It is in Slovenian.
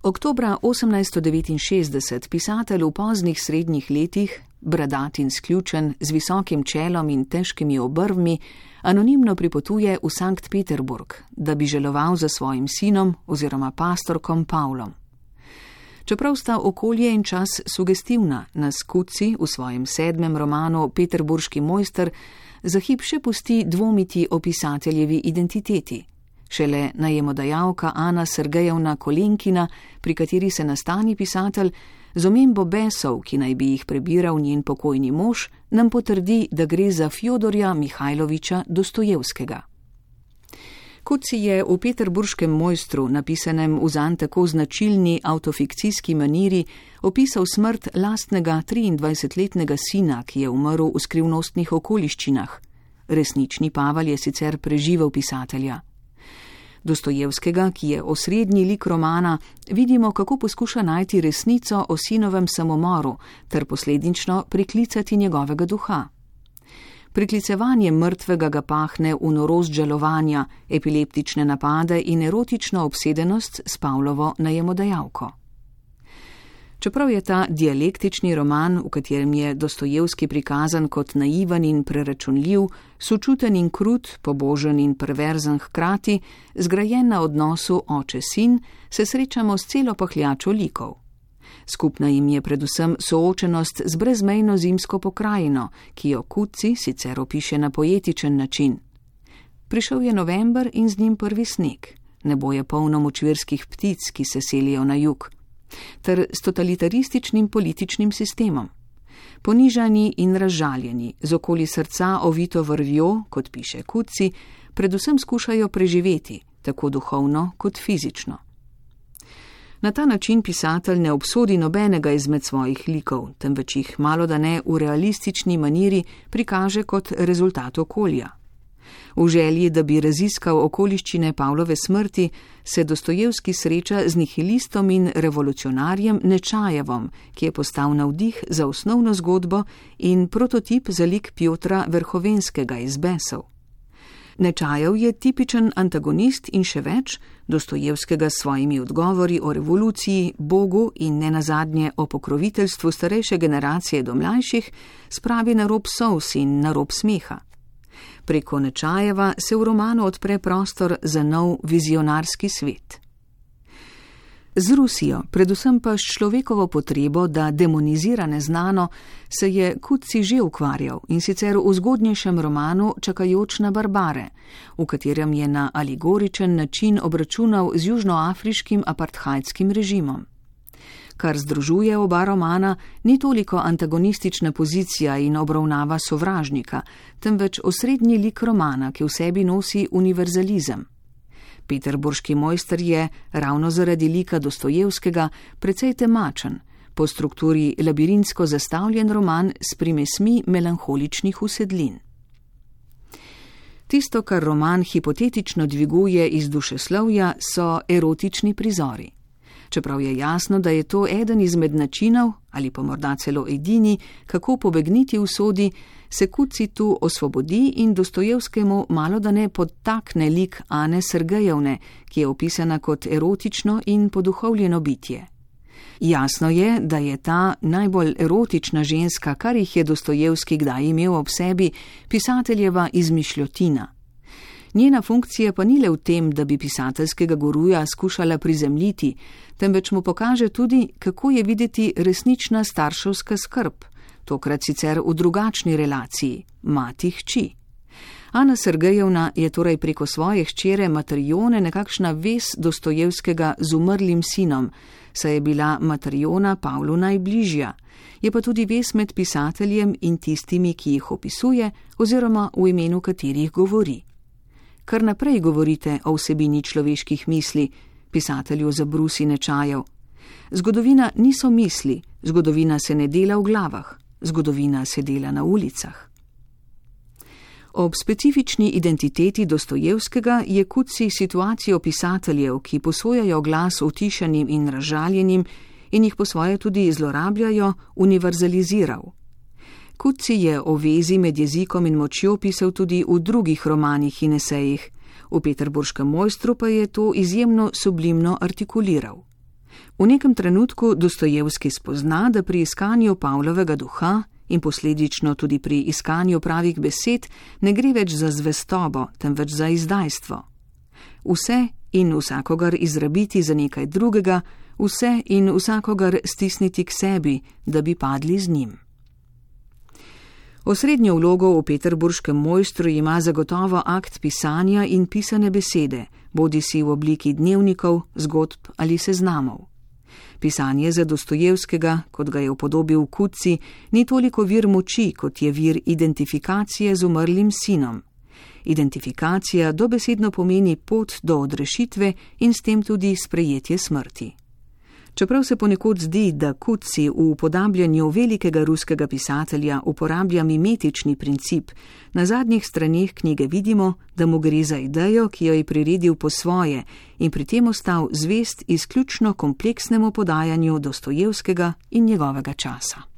Oktobra 1869 pisatelj v poznih srednjih letih, bradat in sključen, z visokim čelom in težkimi obrvmi, anonimno pripotuje v Sankt Peterburg, da bi želoval za svojim sinom oziroma pastorkom Pavlom. Čeprav sta okolje in čas sugestivna, nas Coetzee v svojem 7. romanu Peterburški mojster za hip še pusti dvomiti o pisateljevi identiteti. Šele najemodajalka Ana Sergejevna Kolenkina, pri kateri se nastani pisatelj, z omembo besov, ki naj bi jih prebiral njen pokojni mož, nam potrdi, da gre za Fjodorja Mihajloviča Dostojevskega. Coetzee je v Peterburškem mojstru, napisanem v zanj tako značilni avtofikcijski maniri, opisal smrt lastnega 23-letnega sina, ki je umrl v skrivnostnih okoliščinah. Resnični Pavel je sicer preživel pisatelja. Dostojevskega, ki je osrednji lik romana, vidimo, kako poskuša najti resnico o sinovem samomoru ter posledično priklicati njegovega duha. Priklicevanje mrtvega ga pahne v norost žalovanja, epileptične napade in erotično obsedenost s Pavlovo najemodajalko. Čeprav je ta dialektični roman, v katerem je Dostojevski prikazan kot naiven in preračunljiv, sočuten in krut, pobožen in perverzen hkrati, zgrajen na odnosu oče-sin, se srečamo s celo pahljačo likov. Skupna jim je predvsem soočenost z brezmejno zimsko pokrajino, ki jo Coetzee sicer opiše na poetičen način. Prišel je november in z njim prvi sneg, nebo je polno močvirskih ptic, ki se selijo na jug, ter s totalitarističnim političnim sistemom. Ponižani in razžaljeni, z okoli srca ovito vrvjo, kot piše Coetzee, predvsem skušajo preživeti, tako duhovno kot fizično. Na ta način pisatelj ne obsodi nobenega izmed svojih likov, temveč jih malodane v realistični maniri prikaže kot rezultat okolja. V želji, da bi raziskal okoliščine Pavlove smrti, se Dostojevski sreča z nihilistom in revolucionarjem Nečajevom, ki je postal navdih za osnovno zgodbo in prototip za lik Pjotra Verhovenskega iz Besov. Nečajev je tipičen antagonist in še več, Dostojevskega s svojimi odgovori o revoluciji, Bogu in nenazadnje o pokroviteljstvu starejše generacije do mlajših spravi na rob solz in na rob smeha. Preko Nečajeva se v romanu odpre prostor za nov vizionarski svet. Z Rusijo, predvsem pa s človekovo potrebo, da demonizira neznano, se je Coetzee že ukvarjal, in sicer v zgodnejšem romanu Čakajoč na barbare, v katerem je na alegoričen način obračunal z južnoafriškim apartheidskim režimom. Kar združuje oba romana, ni toliko antagonistična pozicija in obravnava sovražnika, temveč osrednji lik romana, ki v sebi nosi univerzalizem. Peterburški mojster je, ravno zaradi lika Dostojevskega, precej temačen, po strukturi labirintsko zastavljen roman s primesmi melanholičnih usedlin. Tisto, kar roman hipotetično dviguje iz dušeslovja, so erotični prizori. Čeprav je jasno, da je to eden izmed načinov, ali pa morda celo edini, kako pobegniti usodi, se Coetzee tu osvobodi in Dostojevskemu malodane podtakne lik Ane Sergejevne, ki je opisana kot erotično in poduhovljeno bitje. Jasno je, da je ta najbolj erotična ženska, kar jih je Dostojevski kdaj imel ob sebi, pisateljeva izmišljotina. Njena funkcija pa ni le v tem, da bi pisateljskega guruja skušala prizemljiti, temveč mu pokaže tudi, kako je videti resnična starševska skrb, tokrat sicer v drugačni relaciji, mati-hči. Ana Sergejevna je torej preko svoje hčere Matrione nekakšna vez Dostojevskega z umrlim sinom, saj je bila Matriona Pavlu najbližja, je pa tudi vez med pisateljem in tistimi, ki jih opisuje oziroma v imenu katerih govori. Kar naprej govorite o vsebini človeških misli, pisatelju zabrusi Nečajev. Zgodovina niso misli, zgodovina se ne dela v glavah, zgodovina se dela na ulicah. Ob specifični identiteti Dostojevskega je Coetzee situacijo pisateljev, ki posojajo glas utišanim in razžaljenim in jih po svoje tudi zlorabljajo, univerzaliziral. Coetzee je o vezi med jezikom in močjo pisal tudi v drugih romanih in esejih, v Peterburškem mojstru pa je to izjemno sublimno artikuliral. V nekem trenutku Dostojevski spozna, da pri iskanju Pavlovega duha in posledično tudi pri iskanju pravih besed ne gre več za zvestobo, temveč za izdajstvo. Vse in vsakogar izrabiti za nekaj drugega, vse in vsakogar stisniti k sebi, da bi padli z njim. Osrednjo vlogo v peterburškem mojstru ima zagotovo akt pisanja in pisane besede, bodisi v obliki dnevnikov, zgodb ali seznamov. Pisanje za Dostojevskega, kot ga je upodobil Kuci, ni toliko vir moči, kot je vir identifikacije z umrlim sinom. Identifikacija dobesedno pomeni pot do odrešitve in s tem tudi sprejetje smrti. Čeprav se ponekod zdi, da Kuci v upodabljanju velikega ruskega pisatelja uporablja mimetični princip, na zadnjih straneh knjige vidimo, da mu gre za idejo, ki jo je priredil po svoje in pri tem ostal zvest izključno kompleksnemu podajanju Dostojevskega in njegovega časa.